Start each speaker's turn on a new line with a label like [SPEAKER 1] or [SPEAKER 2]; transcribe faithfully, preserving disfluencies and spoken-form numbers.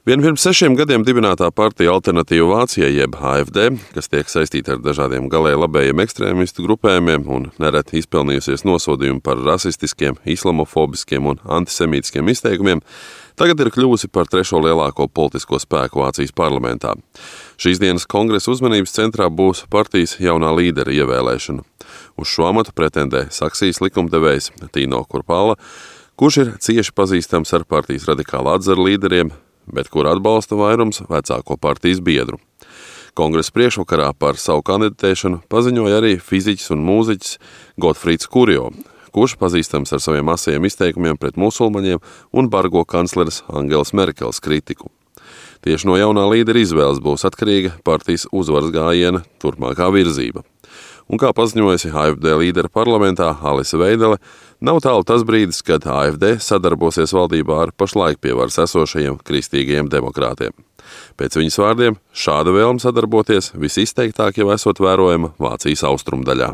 [SPEAKER 1] Vien pirms sešiem gadiem dibinātā partija Alternatīva Vācijai jeb A F D, kas tiek saistīta ar dažādiem galēji labējiem ekstrēmistu grupējumiem un nereti izpelnījusies nosodījumu par rasistiskiem, islamofobiskiem un antisemītiskiem izteikumiem, tagad ir kļuvusi par trešo lielāko politisko spēku Vācijas parlamentā. Šīs dienas kongresa uzmanības centrā būs partijas jaunā līdera ievēlēšana. Uz šo amatu pretendē Saksijas likumdevējs Tino Kurpala, kurš ir cieši pazīstams ar partijas radikāla atzara līderiem, bet kur atbalsta vairums vecāko partijas biedru. Kongresa priekšvakarā par savu kandidatēšanu paziņoja arī fiziķis un mūziķis Gotfrīds Kurjo, kurš pazīstams ar saviem asajiem izteikumiem pret musulmaņiem un bargo kancleres Angelas Merkeles kritiku. Tieši no jaunā līdera izvēles būs atkarīga partijas uzvaras gājiena turpmākā virzība. Un kā paziņojusi A F D līdera parlamentā Alise Veidele, nav tālu tas brīdis, kad A F D sadarbosies valdībā ar pašlaik pie varas esošajiem kristīgajiem demokrātiem. Pēc viņas vārdiem, šāda vēlme sadarboties visizteiktāk jau esot vērojama Vācijas austrumdaļā.